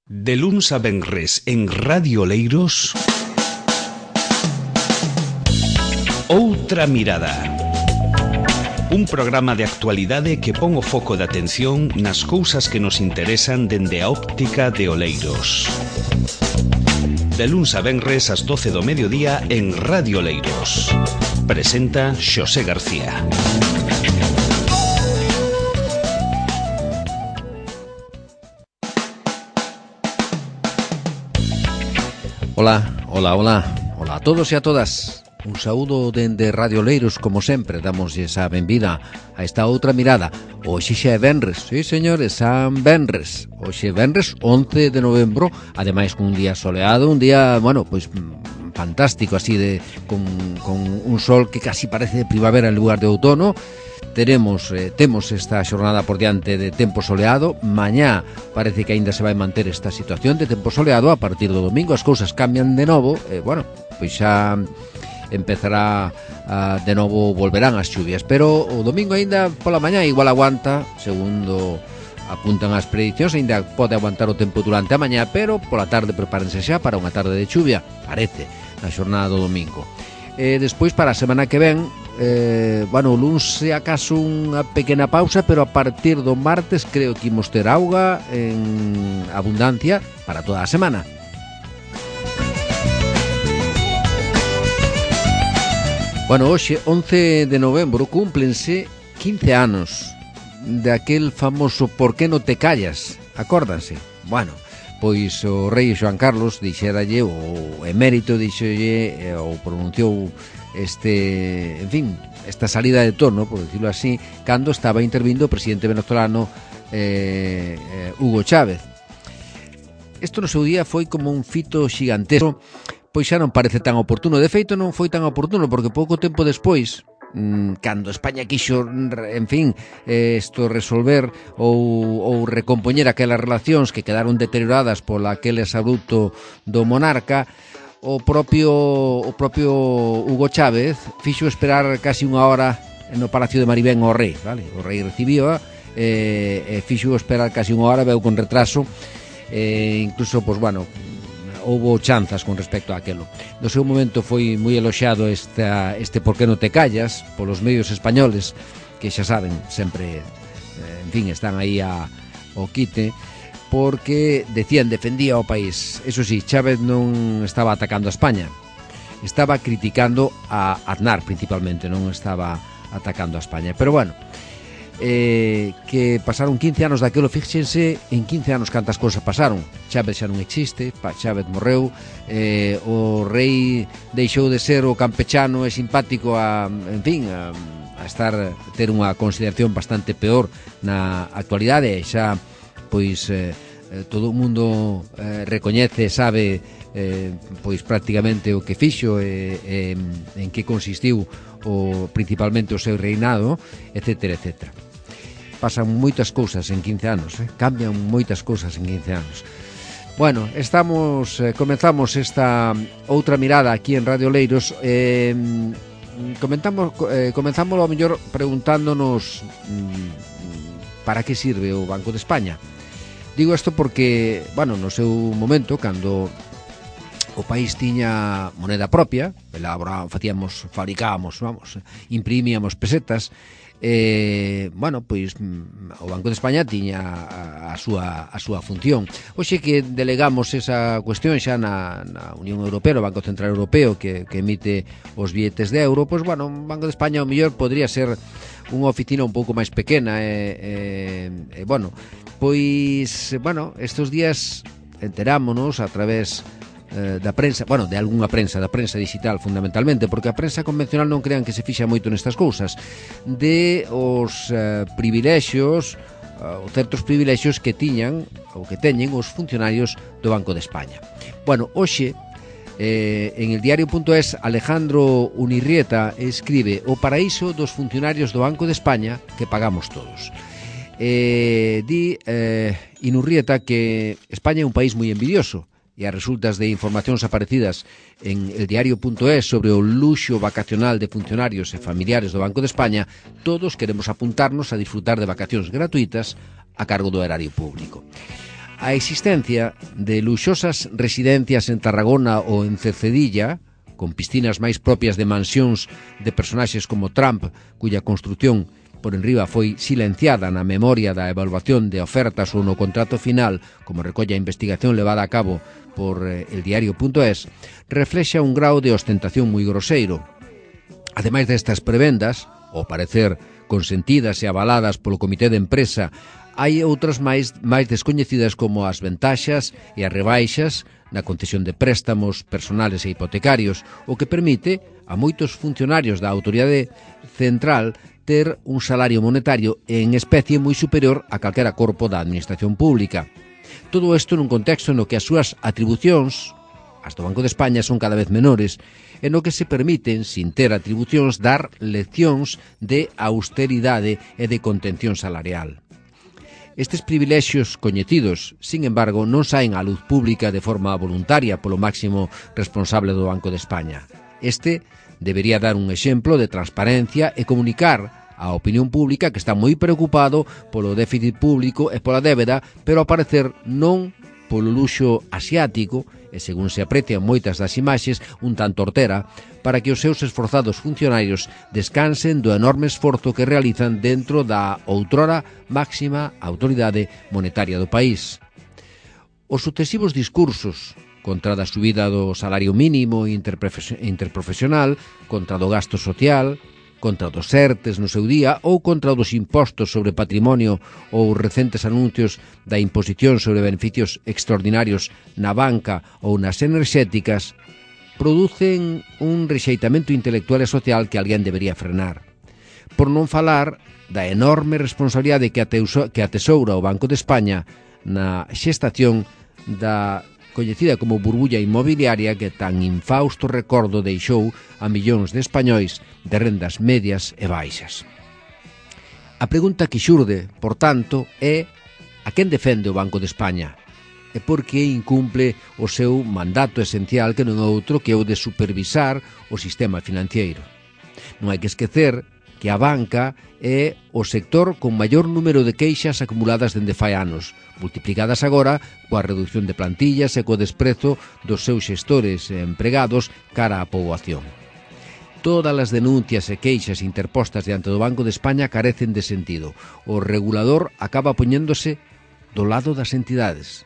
De luns a venres en Radio Oleiros, Outra Mirada. Un programa de actualidade que pon o foco de atención nas cousas que nos interesan dende a óptica de Oleiros. De luns a venres ás 12 do mediodía en Radio Oleiros. Presenta Xosé García. Ola a todos e a todas. Un saúdo dende Radio Oleiros, como sempre. Damoslle a benvida a esta outra mirada. Hoxe xa é venres, sí señores, San Venres. Hoxe é venres 11 de novembro, ademais con un día soleado, un día, bueno, pois fantástico, así de con un sol que casi parece de primavera en lugar de outono. Temos esta xornada por diante de tempo soleado. Mañá parece que aínda se vai manter esta situación de tempo soleado. A partir do domingo as cousas cambian de novo. Bueno, pois xa empezará de novo, volverán as chuvias, pero o domingo aínda pola mañá igual aguanta, segundo apuntan as predicións, aínda pode aguantar o tempo durante a mañá, pero pola tarde prepárense xa para unha tarde de chuvia, parece, na xornada do domingo. Despois para a semana que ven, bueno, o luns se acaso unha pequena pausa, pero a partir do martes creo que imos ter auga en abundancia para toda a semana. Bueno, hoxe, 11 de novembro, cúmplense 15 anos daquel famoso "Por que non te callas?". Acórdanse? Bueno, pois o rei Xoán Carlos dixéralle, o emérito dixolle, ou pronunciou en fin, esta salida de tono, por decirlo así, cando estaba intervindo o presidente venezolano Hugo Chávez. Isto no seu día foi como un fito xigantesco, pois xa non parece tan oportuno. De feito, non foi tan oportuno, porque pouco tempo despois, cando España quixo, en fin, resolver ou recompoñer aquelas relacións que quedaron deterioradas pola aquel exabrupto do monarca, o propio Hugo Chávez fixo esperar casi unha hora no Palacio de Maribén ao rei, vale? O rei recibíoa e fixo esperar casi unha hora, veu con retraso, incluso, pois, bueno, houbo chanzas con respecto a aquelo. No seu momento foi moi eloxado este "Por que non te callas?" polos medios españoles, que xa saben, sempre, en fin, están aí ao quite, porque defendía o país. Eso sí, Chávez non estaba atacando a España, estaba criticando a Aznar principalmente, non estaba atacando a España. Pero bueno, que pasaron 15 anos daquelo, fíxense en 15 anos cantas cousas pasaron. Chávez xa non existe, Chávez morreu, o rei deixou de ser o campechano e simpático a ter unha consideración bastante peor na actualidade. Xa pois todo o mundo recoñece, sabe pois prácticamente o que fixo e en que consistiu principalmente o seu reinado, etcétera, etcétera. Pasan moitas cousas en 15 anos, cambian moitas cousas en 15 anos. Bueno, comenzamos esta outra mirada aquí en Radio Oleiros. Comenzamos ao mellor preguntándonos para que sirve o Banco de España. Digo isto porque, bueno, no seu momento, cando o país tiña moneda propia, fabricábamos, imprimíamos pesetas, bueno, pois o Banco de España tiña a súa función. Hoxe que delegamos esa cuestión xa na Unión Europea, o Banco Central Europeo que emite os billetes de euro, pois, bueno, o Banco de España ao mellor podría ser unha oficina un pouco máis pequena, bueno, pois, bueno, estes días enterámonos a través da prensa, bueno, de algunha prensa, da prensa digital fundamentalmente, porque a prensa convencional non crean que se fixa moito nestas cousas, de os privilexios, ou certos privilexios que tiñan ou que teñen os funcionarios do Banco de España. Bueno, hoxe en el diario.es, Alejandro Unirrieta escribe: "O paraíso dos funcionarios do Banco de España que pagamos todos". Di Inurrieta que España é un país moi envidioso, e as resultas de informacións aparecidas en el diario.es sobre o luxo vacacional de funcionarios e familiares do Banco de España, todos queremos apuntarnos a disfrutar de vacacións gratuitas a cargo do erario público. A existencia de luxosas residencias en Tarragona ou en Cercedilla, con piscinas máis propias de mansións de personaxes como Trump, cuya construción por enriba foi silenciada na memoria da evaluación de ofertas ou no contrato final, como recolle a investigación levada a cabo por eldiario.es, reflexa un grau de ostentación moi groseiro. Ademais destas prebendas, ao parecer consentidas e avaladas polo comité de empresa, hai outras máis descoñecidas como as ventaxas e as rebaixas na concesión de préstamos personales e hipotecarios, o que permite a moitos funcionarios da autoridade central ter un salario monetario en especie moi superior a calquera corpo da administración pública. Todo isto nun contexto no que as súas atribucións, as do Banco de España, son cada vez menores, e no que se permiten, sin ter atribucións, dar leccións de austeridade e de contención salarial. Estes privilexios coñecidos, sin embargo, non saen á luz pública de forma voluntaria polo máximo responsable do Banco de España. Este debería dar un exemplo de transparencia e comunicar á opinión pública que está moi preocupado polo déficit público e pola débeda, pero ao parecer non polo luxo asiático, e según se aprecian moitas das imaxes, un tanto hortera, para que os seus esforzados funcionarios descansen do enorme esforzo que realizan dentro da outrora máxima autoridade monetaria do país. Os sucesivos discursos contra da subida do salario mínimo interprofesional, contra do gasto social, contra dos ERTES no seu día ou contra dos impostos sobre patrimonio ou recentes anuncios da imposición sobre beneficios extraordinarios na banca ou nas enerxéticas, producen un rexeitamento intelectual e social que alguén debería frenar. Por non falar da enorme responsabilidade que atesoura o Banco de España na xestación da coñecida como burbulla inmobiliaria que tan infausto recordo deixou a millóns de españois de rendas medias e baixas. A pregunta que xurde, por tanto, é a quen defende o Banco de España e por que incumple o seu mandato esencial que non é outro que o de supervisar o sistema financiero. Non hai que esquecer que a banca é o sector con maior número de queixas acumuladas dende fai anos, multiplicadas agora coa reducción de plantillas e co desprezo dos seus xestores e empregados cara á poboación. Todas as denuncias e queixas interpostas diante do Banco de España carecen de sentido. O regulador acaba poñéndose do lado das entidades,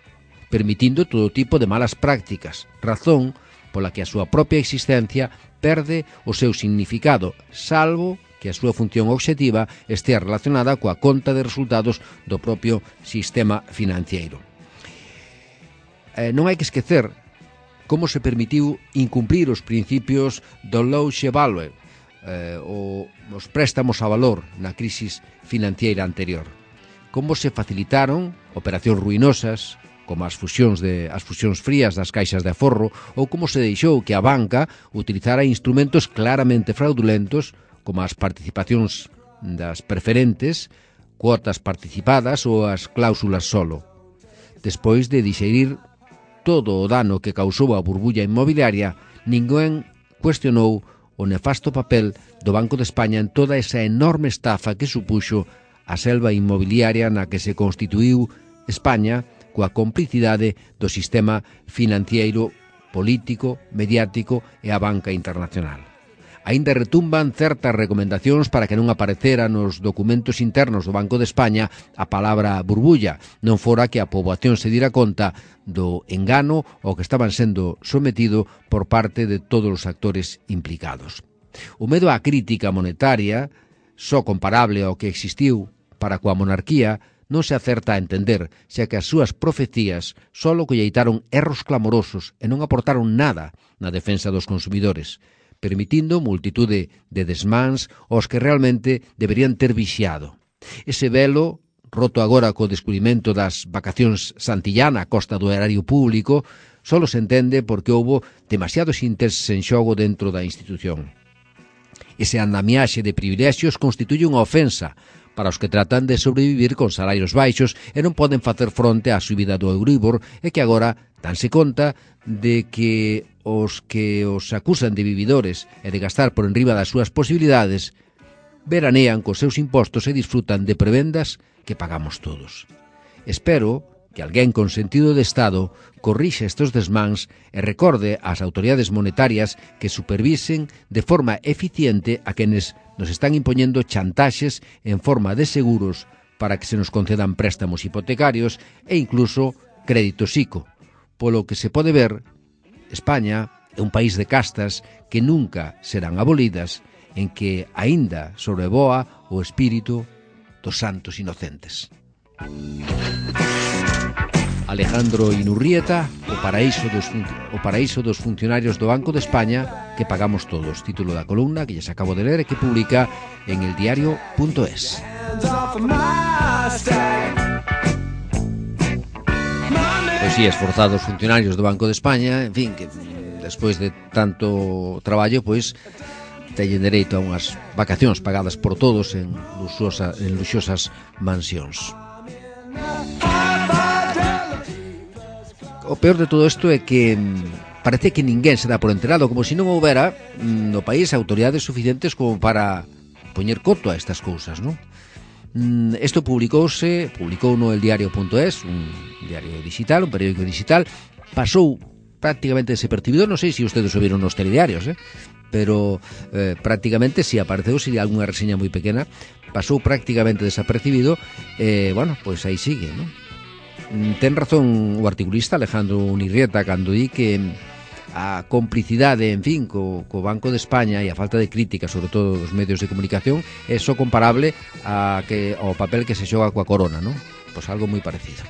permitindo todo tipo de malas prácticas, razón pola que a súa propia existencia perde o seu significado, salvo que a súa función obxectiva estea relacionada coa conta de resultados do propio sistema financiero. Non hai que esquecer como se permitiu incumprir os principios do loan-to-value, os préstamos a valor na crisis financiera anterior. Como se facilitaron operacións ruinosas, como as fusións frías das caixas de aforro, ou como se deixou que a banca utilizara instrumentos claramente fraudulentos como as participacións das preferentes, cuotas participadas ou as cláusulas solo. Despois de dixerir todo o dano que causou a burbulla inmobiliaria, ninguén cuestionou o nefasto papel do Banco de España en toda esa enorme estafa que supuxo a selva inmobiliaria na que se constituíu España coa complicidade do sistema financiero, político, mediático e a banca internacional. Aínda retumban certas recomendacións para que non aparecera nos documentos internos do Banco de España a palabra burbulla, non fora que a poboación se dira conta do engano ao que estaban sendo sometido por parte de todos os actores implicados. O medo á crítica monetaria, só comparable ao que existiu para coa monarquía, non se acerta a entender, xa que as súas profecías só colleitaron erros clamorosos e non aportaron nada na defensa dos consumidores, permitindo multitude de desmáns aos que realmente deberían ter vixiado. Ese velo, roto agora co descubrimento das vacacións Santillana a costa do erario público, só se entende porque houbo demasiados intereses en xogo dentro da institución. Ese andamiaxe de privilexios constituye unha ofensa para os que tratan de sobrevivir con salarios baixos e non poden facer fronte á subida do Euribor e que agora danse conta de que os acusan de vividores e de gastar por enriba das súas posibilidades veranean cos seus impostos e disfrutan de prebendas que pagamos todos. Espero que alguén con sentido de Estado corrixa estes desmáns e recorde ás autoridades monetarias que supervisen de forma eficiente a quenes nos están impoñendo chantaxes en forma de seguros para que se nos concedan préstamos hipotecarios e incluso créditos ICO. Polo que se pode ver, España é un país de castas que nunca serán abolidas, en que aínda sobrevoa o espírito dos santos inocentes. Alejandro Inurrieta, o paraíso dos funcionarios do Banco de España que pagamos todos, título da columna que lles acabo de ler e que publica en eldiario.es. Pois sí, esforzados funcionarios do Banco de España, en fin, que despois de tanto traballo, pois teñen dereito a unhas vacacións pagadas por todos en luxosas mansións. O peor de todo isto é que parece que ninguén se dá por enterado, como se non houbera no país autoridades suficientes como para poñer coto a estas cousas, non? Isto publicou no eldiario.es, un diario digital, un periódico digital, pasou prácticamente desapercibido, non sei se ustedes o viron nos telediarios, pero prácticamente si apareceu, si alguna reseña moi pequena, pasou prácticamente desapercibido, bueno, pois aí sigue, non? Ten razón o articulista Alejandro Inurrieta cando di que a complicidade, en fin, co Banco de España e a falta de crítica, sobre todo dos medios de comunicación, é só comparable ao papel que se xoga coa corona, non? Pois algo moi parecido.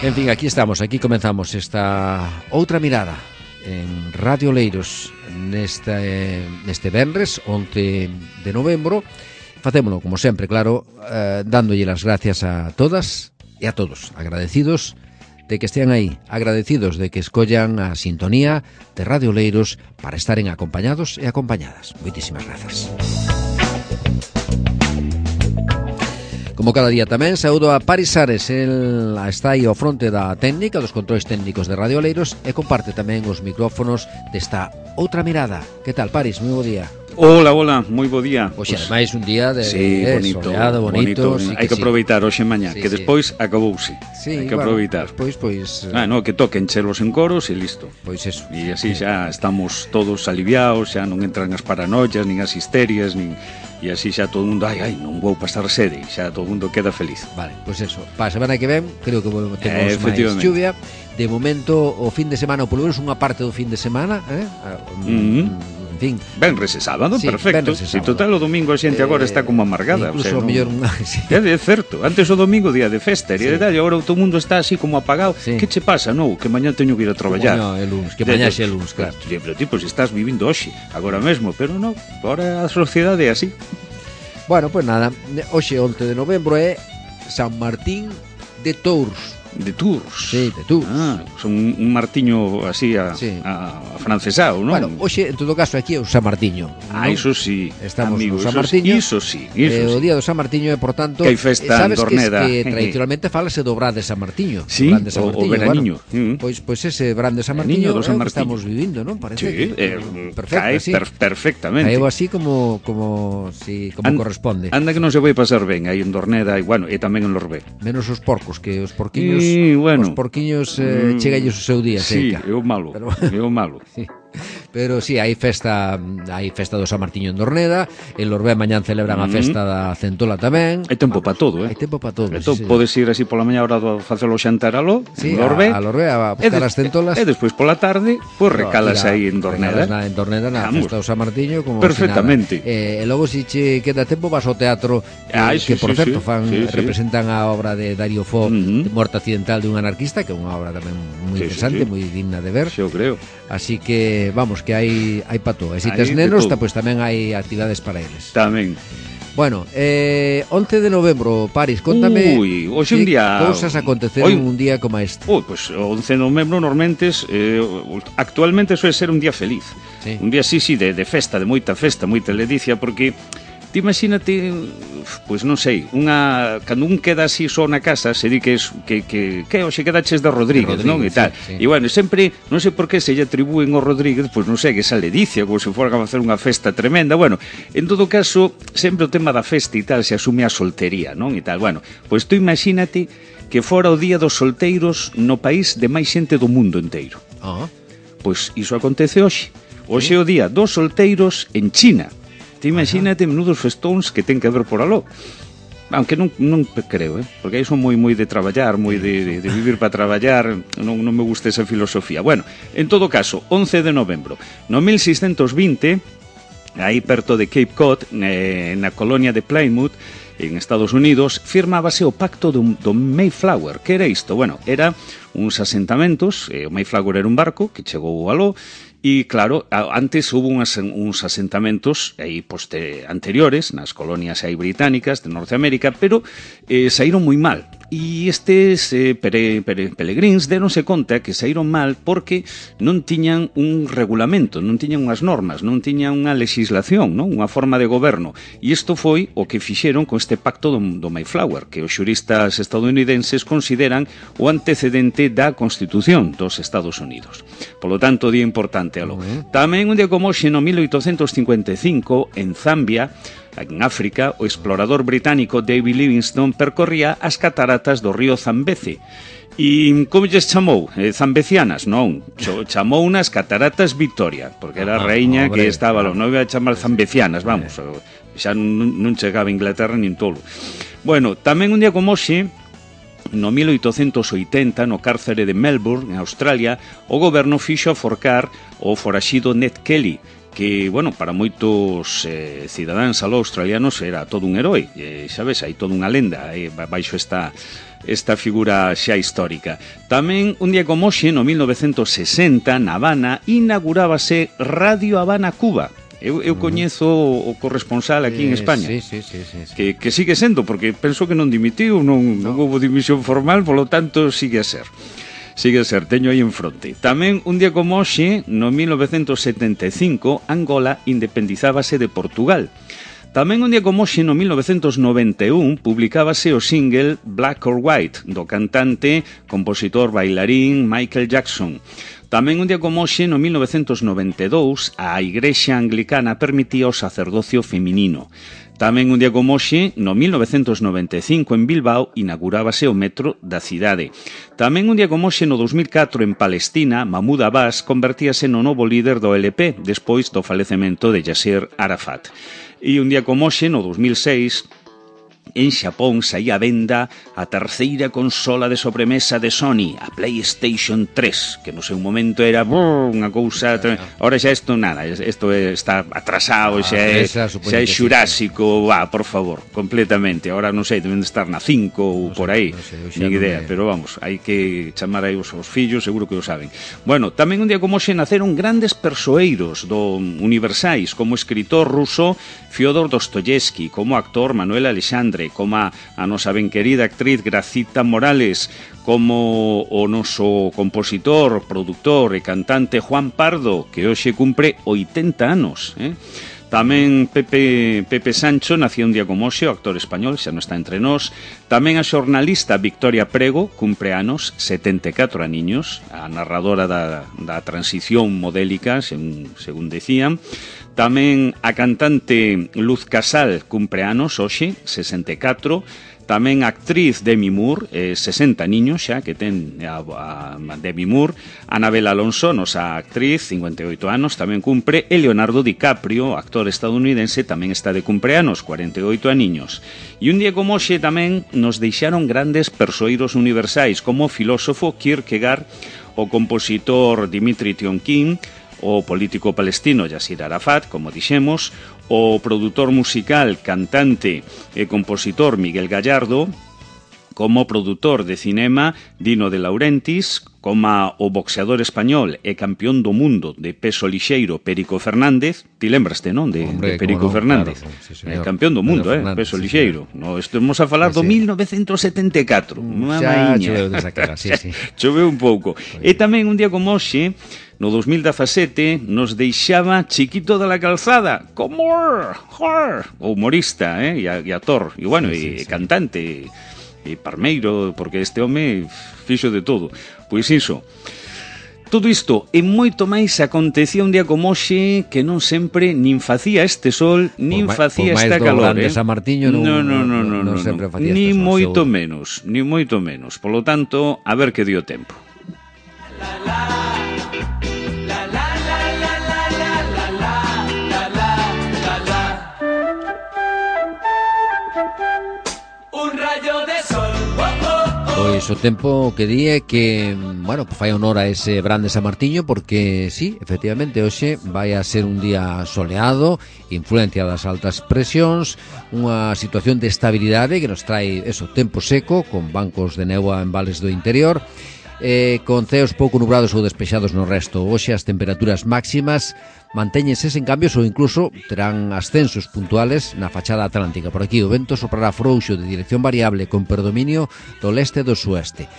En fin, aquí estamos, aquí comenzamos esta outra mirada en Radio Oleiros neste venres 11 de novembro. Facémolo, como sempre, claro, dándolle as gracias a todas e a todos, agradecidos de que estean aí, agradecidos de que escollan a sintonía de Radio Oleiros para estaren acompañados e acompañadas. Moitísimas grazas. Como cada día tamén, saúdo a Paris Ares, el está aí ao fronte da técnica, dos controis técnicos de Radio Oleiros e comparte tamén os micrófonos desta outra mirada. Que tal, Paris? Moi bo día. Hola, moi bo día. Hoxe, ademais, un día de bonito, soleado, bonito. Sí, hai que aproveitar hoxe mañá, que despois acabouse. Sí, hai que aproveitar. Despois, pois... que toquen chelos en coros e listo. Pois eso. E así xa estamos todos aliviados, xa non entran as paranoias, nin as histerias, nin... E así xa todo o mundo, non vou pasar sede, xa todo o mundo queda feliz. Vale, pois eso. Para a semana que ven, creo que temos máis chuvia. De momento, o fin de semana, ou polo menos unha parte do fin de semana, en fin. Venres e sábado, sí, perfecto. Si total o domingo a xente agora está como amargada. Incluso o mellor... Sí. É certo, antes o domingo día de festa, e agora todo o mundo está así como apagado. Sí. Que che pasa? Non, que mañá teño que ir a traballar. Que mañá xe luns, claro. Pero tipo, se estás vivindo hoxe, agora mesmo, pero non, agora a sociedade é así. Bueno, pois nada, hoxe 11 de novembro é San Martín de Tours. De Tours. Sí, de Tours. Son un martiño así a francesao, non? Bueno, hoxe, en todo caso, aquí é o San Martiño. Iso sí, estamos amigo, no San Martiño. Iso sí. O día do San Martiño é, por tanto, que hai festa en Dorneda. Sabes que tradicionalmente falase do Brán de San Martiño. Sí, o veraniño. Bueno, pois ese Brán de San Martiño é o que estamos vivindo, non? Parece sí, perfectamente. Caeu así como corresponde. Anda que non se vai pasar ben aí en Dorneda e tamén en Lorbé. Menos os porcos, que os porquiños os porquiños chegalles o seu día. Sí, é o malo. Sí. Pero sí, hai festa do San Martiño en Dorneda, en Lorbé mañán celebran a festa da Centola tamén. Hai tempo para todo, Hai tempo para todo. Entón podes ir así pola mañá hora de facelo xantar aló, en Lorbé. A Lorbé a buscar as centolas. E despois pola tarde, pois recalas aí en Dorneda. En Dorneda na festa do San Martiño como perfectamente. E logo se che queda tempo vas ao teatro que por certo representan a obra de Darío Fo, de Muerte accidental de un anarquista, que é unha obra tamén moi interesante, moi digna de ver. Eu creo. Así que vamos, que hai pa todo. E se tes nenos, pois tamén hai actividades para eles. Tamén. Bueno, 11 de novembro, Paris, contame hoxe un día cousas aconteceron un día como este. Pois 11 de novembro normalmente actualmente suele ser un día feliz. Sí. Un día de festa, de moita ledicia, porque Ti imagínate, pois non sei, cando un queda así só na casa, se di que hoxe quedaches de Rodríguez, non? E tal. Sí. E bueno, sempre, non sei por que se lle atribúen ao Rodríguez, pois non sei, que esa ledicia, como se fora a facer unha festa tremenda. Bueno, en todo caso, sempre o tema da festa e tal se asume a soltería, non? E tal, bueno, pois tú imagínate que fora o día dos solteiros no país de máis xente do mundo inteiro. Pois iso acontece hoxe. Hoxe é o día dos solteiros en China. Te imagínate menudos festóns que ten que haber por aló. Aunque non creo, porque aí son moi de traballar, moi de vivir para traballar, non me gusta esa filosofía. Bueno, en todo caso, 11 de novembro, no 1620, aí perto de Cape Cod, na colonia de Plymouth, en Estados Unidos, firmábase o pacto do Mayflower. Que era isto? Bueno, era uns asentamentos, o Mayflower era un barco que chegou aló, e claro, antes hubo uns asentamentos aí anteriores nas colonias aí británicas de Norteamérica, pero saíron moi mal. E estes peregrins deronse conta que saíron mal porque non tiñan un regulamento, non tiñan unhas normas, non tiñan unha legislación, non? Unha forma de goberno. E isto foi o que fixeron con este pacto do Mayflower, que os xuristas estadounidenses consideran o antecedente da Constitución dos Estados Unidos. Por lo tanto, día importante aló. Tamén un día como hoxe, no 1855, en Zambia, en África, o explorador británico David Livingstone percorría as cataratas do río Zambeze. E como lles chamou? Zambecianas? Non, chamou unas cataratas Victoria, porque era a reiña que estaba, non iba a chamar zambecianas, vamos, xa non chegaba a Inglaterra nin tolo. Bueno, tamén un día como hoxe, no 1880, no cárcere de Melbourne, en Australia, o goberno fixo aforcar o foraxido Ned Kelly, que, bueno, para moitos cidadáns australianos era todo un herói, sabes, hai toda unha lenda baixo esta figura xa histórica. Tamén, un día como hoxe, no 1960, na Habana, inaugurábase Radio Habana Cuba. Eu coñezo o corresponsal aquí en España, que sigue sendo, porque penso que non dimitiu, non houve dimisión formal, polo tanto sigue a ser, teño aí en fronte. Tamén un día como hoxe, no 1975, Angola independizábase de Portugal. Tamén un día como hoxe, no 1991, publicábase o single Black or White, do cantante, compositor, bailarín Michael Jackson. Tamén un día como hoxe, no 1992, a Igrexa Anglicana permitía o sacerdocio feminino. Tamén un día como hoxe, no 1995, en Bilbao, inaugurábase o metro da cidade. Tamén un día como hoxe, no 2004, en Palestina, Mahmoud Abbas convertíase no novo líder do LP, despois do falecemento de Yasser Arafat. E un día como hoxe, no 2006, en Xapón saía a venda a terceira consola de sobremesa de Sony, a PlayStation 3, que no seu momento era unha cousa... Ahora xa isto nada, isto está atrasado, xa é xurásico, por favor, completamente. Ahora non sei, deben de estar na 5 ou por aí, nin idea, pero vamos, hai que chamar aí os fillos, seguro que o saben. Bueno, tamén un día como xe naceron grandes persoeiros universais, como escritor ruso Fyodor Dostoyevsky, como actor Manuel Alexandre, como a nosa ben querida actriz Gracita Morales, como o noso compositor, produtor e cantante Juan Pardo, que hoxe cumpre 80 anos. Tamén Pepe Sancho nacía un día como hoxe, o actor español, xa non está entre nós. Tamén a xornalista Victoria Prego, cumpre anos, 74 aniños, a narradora da transición modélica, según decían. Tamén a cantante Luz Casal cumpre anos hoxe, 64. Tamén a actriz Demi Moore, 60 niños xa que ten a Demi Moore. Anabel Alonso, nosa actriz, 58 anos, tamén cumpre. E Leonardo DiCaprio, actor estadounidense, tamén está de cumpleanos, 48 aniños. E un día como hoxe tamén nos deixaron grandes persoeiros universais, como o filósofo Kierkegaard, o compositor Dimitri Tionkin, o político palestino Yasser Arafat, como dixemos, o produtor musical, cantante e compositor Miguel Gallardo, como produtor de cinema Dino de Laurentiis, como o boxeador español e campeón do mundo de peso lixeiro Perico Fernández. Ti lembraste, non? De Perico Fernández. Claro, sí, señor. Campeón do mundo, peso lixeiro. No, estamos a falar do 1974. Xa choveu desa cara, sí. Choveu un pouco. E tamén un día como hoxe, no 2017, nos deixaba Chiquito de la Calzada, como o humorista, e actor, e bueno, e cantante, e parmeiro, porque este home fixo de todo. Pois iso, todo isto e moito máis acontecía un día como hoxe, que non sempre nin facía este sol, nin facía esta calor. Por máis do grande San Martiño non sempre facía este sol. Ni moito menos, ni moito menos. Por lo tanto, a ver que dio tempo. Pois o tempo que di é que, bueno, fai honor a ese brande San Martiño, porque sí, efectivamente, hoxe vai a ser un día soleado, influencia das altas presións, unha situación de estabilidade que nos trae tempo seco, con bancos de néboa en vales do interior, con ceos pouco nubrados ou despexados no resto. Hoxe as temperaturas máximas mantéñense sen cambios ou incluso terán ascensos puntuales na fachada atlántica. Por aquí o vento soprará frouxo de dirección variable con predominio do leste e do sueste.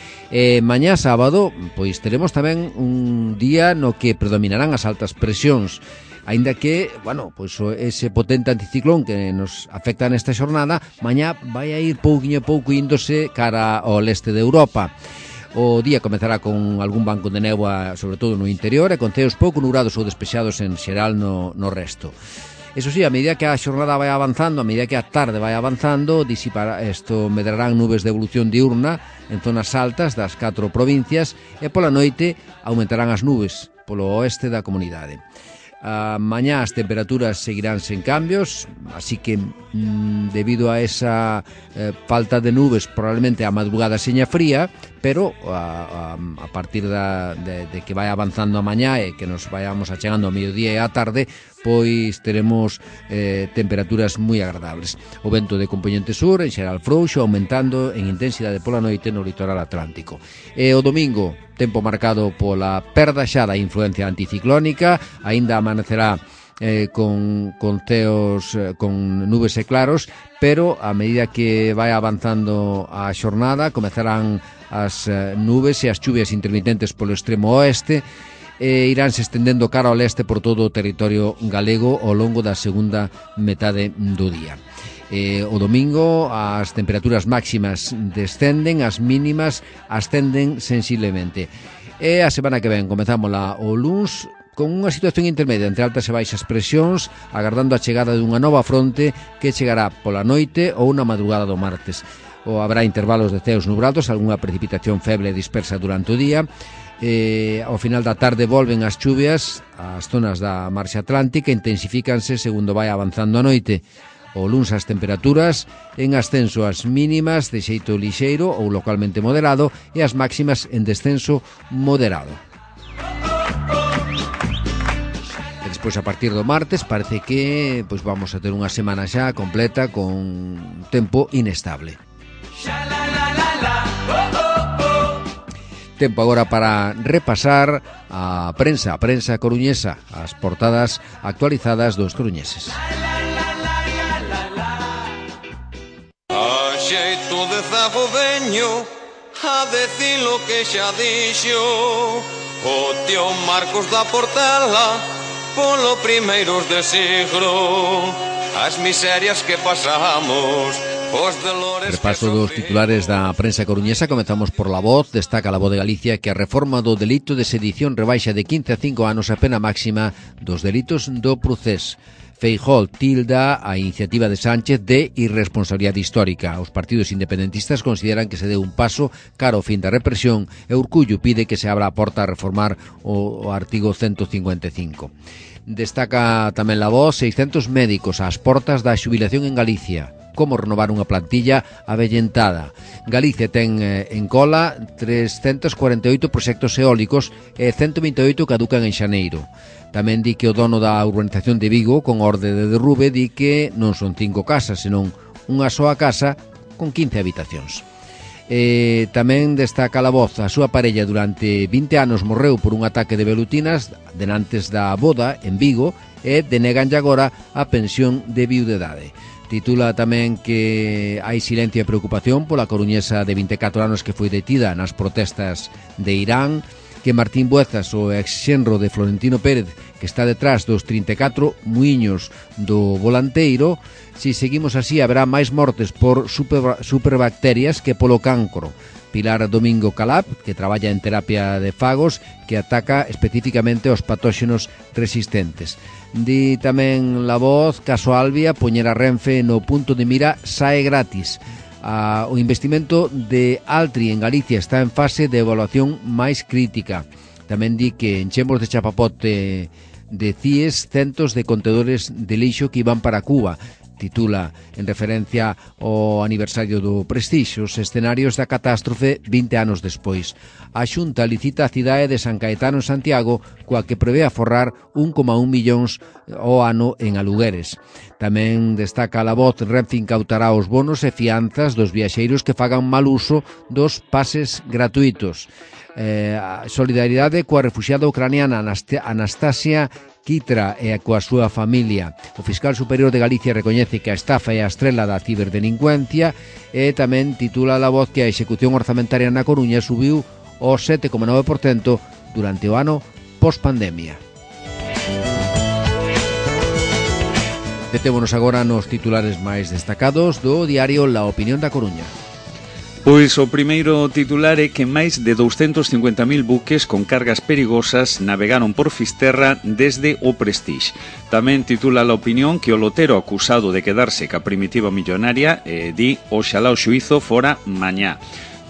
Mañá sábado, pois teremos tamén un día no que predominarán as altas presións, aínda que, bueno, pois ese potente anticiclón que nos afecta nesta xornada, mañá vai a ir pouquiño a pouco índose cara ao leste de Europa. O día comezará con algún banco de néboa, sobre todo no interior, e con ceos pouco nubrados ou despexados en xeral no resto. Eso sí, a medida que a xornada vai avanzando, a medida que a tarde vai avanzando, medrarán nubes de evolución diurna en zonas altas das 4 provincias e pola noite aumentarán as nubes polo oeste da comunidade. Mañá as temperaturas seguirán sen cambios, así que debido a esa falta de nubes probablemente a madrugada seña fría, pero a partir de que vai avanzando a mañá e que nos vayamos achegando ao mediodía e á tarde, pois teremos temperaturas moi agradables. O vento de compoñente sur en xeral frouxo, aumentando en intensidade pola noite no litoral atlántico. E o domingo, tempo marcado pola perda xa da influencia anticiclónica, aínda amanecerá con ceos con nubes e claros, pero a medida que vai avanzando a xornada comezarán as nubes e as chuvias intermitentes polo extremo oeste e iránse estendendo cara ao leste por todo o territorio galego ao longo da segunda metade do día. O domingo as temperaturas máximas descenden, as mínimas ascenden sensiblemente. E a semana que ven comezámola o luns con unha situación intermedia entre altas e baixas presións, agardando a chegada dunha nova fronte que chegará pola noite ou na madrugada do martes. Habrá intervalos de ceos nubrados, algunha precipitación feble e dispersa durante o día. Ao final da tarde volven as chuvias ás zonas da marxa atlántica, intensifícanse segundo vai avanzando a noite. O luns as temperaturas en ascenso, as mínimas de xeito lixeiro ou localmente moderado e as máximas en descenso moderado. E despois a partir do martes parece que vamos a ter unha semana xa completa con tempo inestable. Tempo agora para repasar a prensa coruñesa, as portadas actualizadas dos coruñeses. A xeito de zago veño a decir lo que xa dixo o tío Marcos da Portela polo primeiros de siglo, as miserias que pasamos. Repaso dos titulares da prensa coruñesa. Comezamos por La Voz. Destaca La Voz de Galicia que a reforma do delito de sedición rebaixa de 15 a 5 anos a pena máxima dos delitos do procés. Feijóo tilda a iniciativa de Sánchez de irresponsabilidade histórica. Os partidos independentistas consideran que se deu un paso cara ao fin da represión e Urcullo pide que se abra a porta a reformar o artigo 155. Destaca tamén La Voz 600 médicos ás portas da xubilación en Galicia. Como renovar unha plantilla avellentada. Galicia ten en cola 348 proxectos eólicos e 128 caducan en xaneiro. Tamén di que o dono da urbanización de Vigo, con orde de derrube, di que non son 5 casas, senón unha soa casa con 15 habitacións. Tamén destaca a voz a súa parella durante 20 anos morreu por un ataque de velutinas denantes da boda en Vigo e deneganlle agora a pensión de viudedade. Titula tamén que hai silencio e preocupación pola coruñesa de 24 anos que foi detida nas protestas de Irán, que Martín Buezas, o ex-xenro de Florentino Pérez, que está detrás dos 34 muiños do volanteiro. Si seguimos así, haberá máis mortes por superbacterias que polo cancro. Pilar Domingo Calab, que traballa en terapia de fagos, que ataca especificamente aos patóxenos resistentes. Di tamén La Voz, caso Albia, poñer a Renfe no punto de mira sae gratis. O investimento de Altri en Galicia está en fase de evaluación máis crítica. Tamén di que enchemos de chapapote de CIES centos de contedores de lixo que iban para Cuba. Titula, en referencia ao aniversario do Prestixio, os escenarios da catástrofe 20 anos despois. A Xunta licita a cidade de San Caetano en Santiago, coa que prevé aforrar 1,1 millóns ao ano en alugueres. Tamén destaca a La Voz, Renfe incautará os bonos e fianzas dos viaxeiros que fagan mal uso dos pases gratuitos. Solidaridade coa refuxiada ucraniana Anastasia Kitra e coa súa familia. O fiscal superior de Galicia recoñece que a estafa é a estrela da ciberdelincuencia e tamén titula La Voz que a execución orzamentaria na Coruña subiu ao 7,9% durante o ano post-pandemia. Detémonos agora nos titulares máis destacados do diario La Opinión da Coruña. Pois o primeiro titular é que máis de 250.000 buques con cargas perigosas navegaron por Fisterra desde o Prestige. Tamén titula La Opinión que o lotero acusado de quedarse ca primitiva millonaria di oxalá o xuízo fora mañá.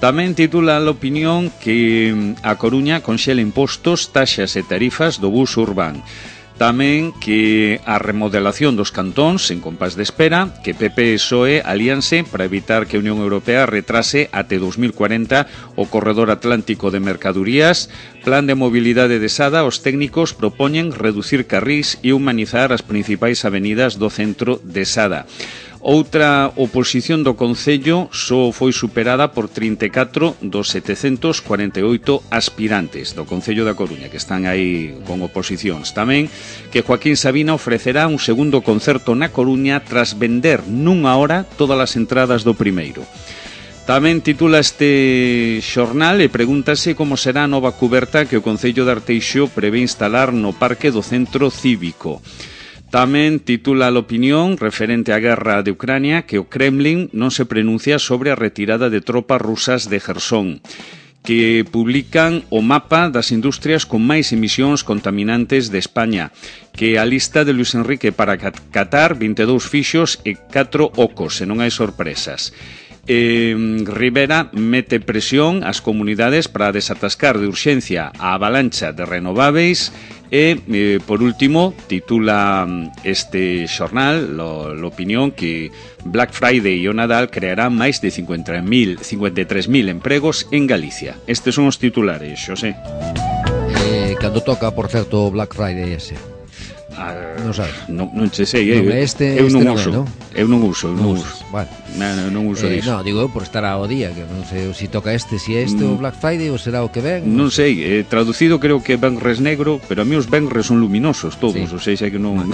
Tamén titula La Opinión que a Coruña conxela impostos, taxas e tarifas do bus urbán. Tamén que a remodelación dos cantóns en compás de espera, que PP e PSOE alíanse para evitar que a Unión Europea retrase até 2040 o corredor atlántico de mercadurías. Plan de mobilidade de Sada, os técnicos propoñen reducir carrís e humanizar as principais avenidas do centro de Sada. Outra oposición do Concello só foi superada por 34 dos 748 aspirantes do Concello da Coruña, que están aí con oposicións. Tamén que Joaquín Sabina ofrecerá un segundo concerto na Coruña tras vender nunha hora todas as entradas do primeiro. Tamén titula este xornal e pregúntase como será a nova cuberta que o Concello de Arteixo prevé instalar no Parque do Centro Cívico. Tamén titula La Opinión, referente á guerra de Ucrania, que o Kremlin non se pronuncia sobre a retirada de tropas rusas de Jersón, que publican o mapa das industrias con máis emisións contaminantes de España, que a lista de Luis Enrique para Qatar, 22 fixos e 4 ocos, e non hai sorpresas. Rivera mete presión ás comunidades para desatascar de urxencia a avalancha de renováveis. E, por último, titula este xornal, La Opinión, que Black Friday e o Nadal crearán máis de 53.000 empregos en Galicia. Estes son os titulares, Xosé. Cando toca, por certo, Black Friday ese? Non sabes? Non che sei, eu non uso. Eu non uso. Vale. Non uso disso. Non, digo eu por estar ao día, que non sei se toca este, si é este o Black Friday ou será o que ven. Non sei, traducido creo que Benres negro, pero a mí os Benres son luminosos todos, sí. O sea que non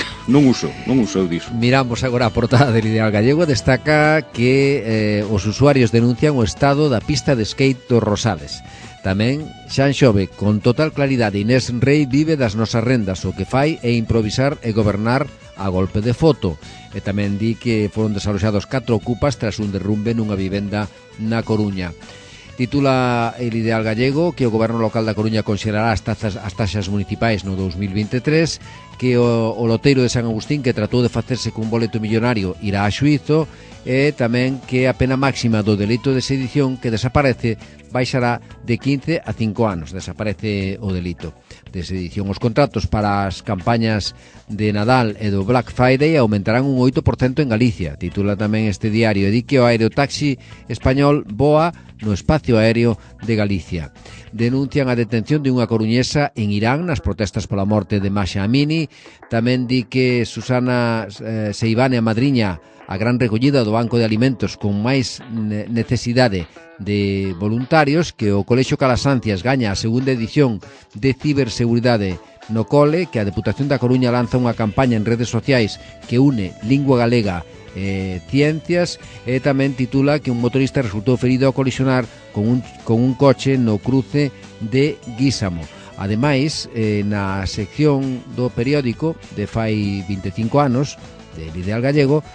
uso eu disso. Miramos agora a portada del Ideal Gallego, destaca que os usuarios denuncian o estado da pista de skate dos Rosales. Tamén Xan Xove, con total claridade, Inés Rei vive das nosas rendas, o que fai é improvisar e gobernar a golpe de foto. E tamén di que foron desaloxados 4 ocupas tras un derrumbe nunha vivenda na Coruña. Titula El Ideal Gallego que o goberno local da Coruña considerará as taxas municipais no 2023, que o loteiro de San Agustín, que tratou de facerse cun boleto millonario, irá a xuízo, e tamén que a pena máxima do delito de sedición que desaparece baixará de 15 a 5 anos. Desaparece o delito de sedición. Os contratos para as campañas de Nadal e do Black Friday aumentarán un 8% en Galicia. Titula tamén este diario, e di que o aerotaxi español voa no espacio aéreo de Galicia. Denuncian a detención de unha coruñesa en Irán nas protestas pola morte de Masha Amini. Tamén di que Susana Seivane, a madriña, a gran recollida do Banco de Alimentos con máis necesidade de voluntarios, que o Colexio Calasancias gaña a segunda edición de ciberseguridade no cole, que a Deputación da Coruña lanza unha campaña en redes sociais que une lingua galega ciencias, e tamén titula que un motorista resultou ferido ao colisionar con un coche no cruce de Guísamo. Ademais, na sección do periódico de fai 25 anos del Ideal Gallego,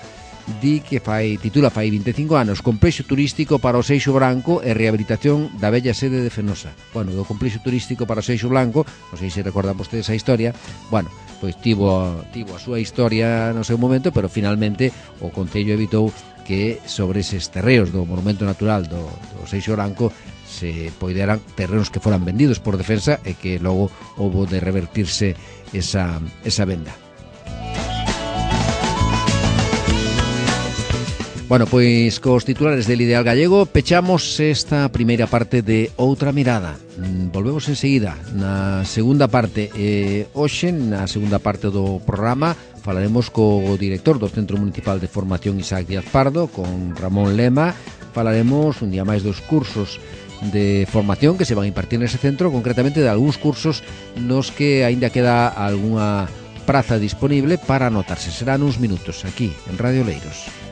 di que titula fai 25 anos complexo turístico para o Seixo Branco e rehabilitación da bella sede de Fenosa. Bueno, do complexo turístico para o Seixo Branco, non sei se recordan vostedes a historia, bueno, pois tivo a súa historia no seu momento, pero finalmente o Concello evitou que sobre eses terreos do Monumento Natural do Seixo Branco se poideran terrenos que foran vendidos por Defensa e que logo houbo de revertirse esa venda. Bueno, pois cos titulares del Ideal Gallego pechamos esta primeira parte de Outra Mirada. Volvemos enseguida na segunda parte. Hoxe, na segunda parte do programa, falaremos co director do Centro Municipal de Formación Isaac Díaz Pardo, con Ramón Lema. Falaremos un día máis dos cursos de formación que se van a impartir nese centro, concretamente de algúns cursos nos que aínda queda algunha praza disponible para anotarse. Serán uns minutos aquí en Radio Oleiros.